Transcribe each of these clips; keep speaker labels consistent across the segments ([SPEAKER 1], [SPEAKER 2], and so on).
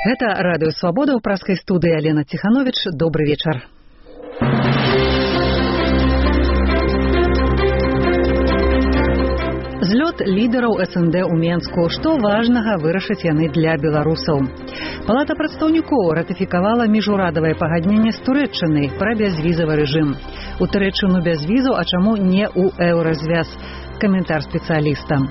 [SPEAKER 1] Гэта радыё «Свабода», ў праскай студыі Алена Ціхановіч. Добры вечар. Злёт лідараў СНД ў Менску. Што важнага вырашаць яны для беларусаў? Палата прадстаўнікоў ратыфікавала міжурадавае пагадненне з Турэччынай пра бязвізавы рэжым. У Турэччыну без візаў, а чаму не ў еўразвяз? Каментар спецыяліста.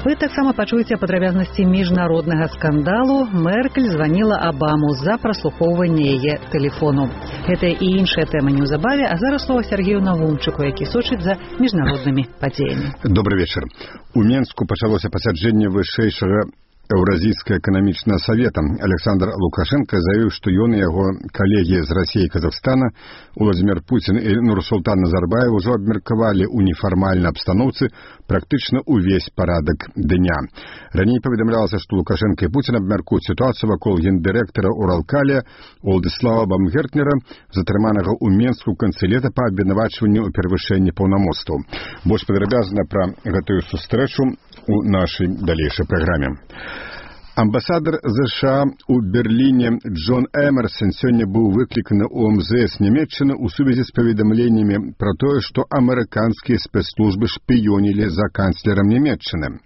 [SPEAKER 1] Вы таксама пачуеце падрабязнасці міжнароднага скандалу. Меркель званіла Абаму за праслухоўванне яе тэлефону. Гэта і іншая тэма неўзабаве, а зараз слова Сергею Навумчыку, які сочыць за міжнароднымі падзеямі.
[SPEAKER 2] Добрый вечар. У Менску пачалося пасяджэнне вышэйшага Еўразійскага эканамічнага савета. Александр Лукашенко заявіў, што ён і яго калегі з Расіі і Казахстана Владзімір Пуцін і Нурсултан Назарбаев ужо абмеркавалі ў нефармальнай абстаноўцы практычна ўвесь парадак дня. Раней паведамлялася, што Лукашенко і Пуцін абмяркуюць сітуацыю вакол гендырэктара Уралкаля Уладзіслава Бамгертнера, затрыманага ў Менску ў канцы лета па абвінавачванню ў перавышэнні паўнамоцтваў. Больш падрабязна пра гэтую сустрэчу у нашай далейшай праграме. Амбасадар США у Берліне Джон Эмерсон сёння быў выкліканы ў МЗС Нямецчыны ў сувязі з паведамленнямі пра тое, што амерыканскія спецслужбы шпіёнілі за канцлерам Нямецчыны.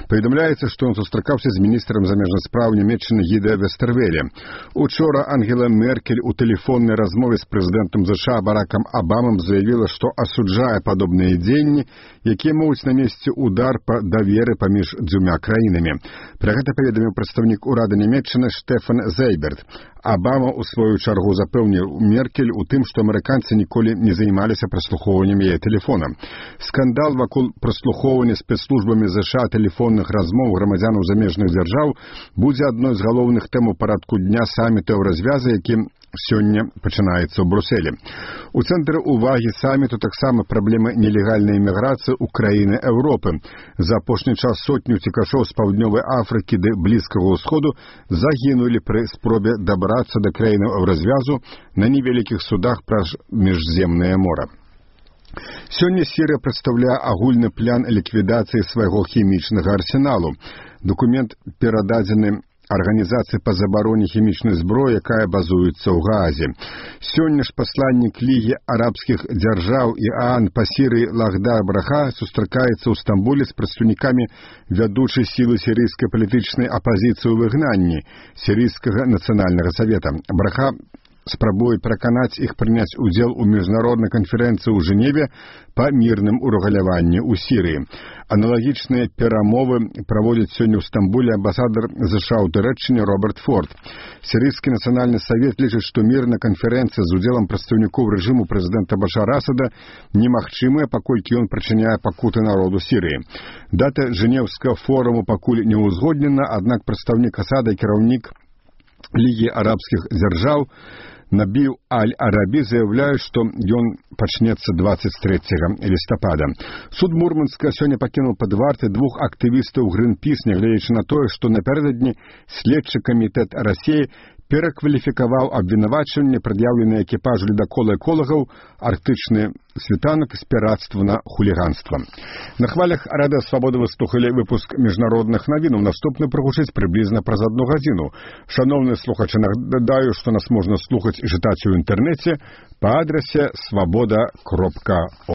[SPEAKER 2] Паведамляецца, што ён сустракаўся з міністрам замежных спраў Нямецчыны Гідэ Вестэрвеле. Учора Ангела Меркель у тэлефоннай размове з прэзідэнтам США Баракам Абамам заявіла, што асуджае падобныя дзеянні, якія могуць нанесці удар па даверы паміж дзвюма краінамі. Пра гэта паведаміў прадстаўнік урада Нямецчыны Штефан Зейберт. Абама ў сваю чаргу запэўніў Меркель у тым, што амерыканцы ніколі не займаліся праслухоўваннем яе тэлефона. Скандал вакол праслухоўвання спецслужбамі США тэлефонных размоў грамадзянаў замежных дзяржаў будзе адной з галоўных тэм у парадку дня саміту Еўразвяза, які сёння пачынаецца ў Брусэлі. У цэнтры ўвагі саміту таксама праблема нелегальнай іміграцыі ў краіны Еўропы. За апошні час сотню цікашоў з паўднёвай Афрыкі ды Блізкага ўсходу загінулі пры спробе дабрацца да краінаў Еўразвязу на невялікіх судах праз міжземнае мора. Сёння Сірыя прадстаўляе агульны план ліквідацыі свайго хімічнага арсеналу. Дакумент перададзены Арганізацыі па забароне хімічнай зброі, якая базуецца ў Гаазе. Сёння ж пасланнік Лігі арабскіх дзяржаў Іан па Сірыі Лахдар Браха сустракаецца ў Стамбуле з прадстаўнікамі вядучай сілы сірыйскай палітычнай апазіцыі ў выгнанні Сірыйскага нацыянальнага савета. Браха спрабуе пераканаць іх прыняць удзел у міжнароднай канферэнцыі ў Жэневе па мірным урэгуляванні ў Сірыі. Аналагічныя перамовы праводзіць сёння ў Стамбуле амбасадар США ў Турэччыне Роберт Форд. Сірыйскі нацыянальны савет лічыць, што мірная канферэнцыя з удзелам прадстаўнікоў рэжыму прэзідэнта Башара Асада немагчымая, паколькі ён прычыняе пакуты народу Сірыі. Дата Жэнеўскага форуму пакуль не ўзгоднена, аднак прадстаўнік Асада і кіраўнік Лігі арабскіх дзяржаў Набіў Аль-Арабі заяўляе, што ён пачнецца 23 лістапада. Суд Мурманска сёння пакінуў пад вартай двух актывістаў Гринпіс, нягледзячы на тое, што напярэдадні следчы камітэт Расіі перакваліфікаваў абвінавачванне, прад'яўленае экіпажу ледакола эколагаў арктычны світанак з пірацтва на хуліганства. На хвалях Радыё Свабода вы слухалі выпуск міжнародных навінаў. Наступны прагучыць прыблізна праз 1 гадзіну. Шаноўныя слухачы, нагадаю, што нас можна слухаць і чытаць у інтэрнэце па адрасе swaboda.org.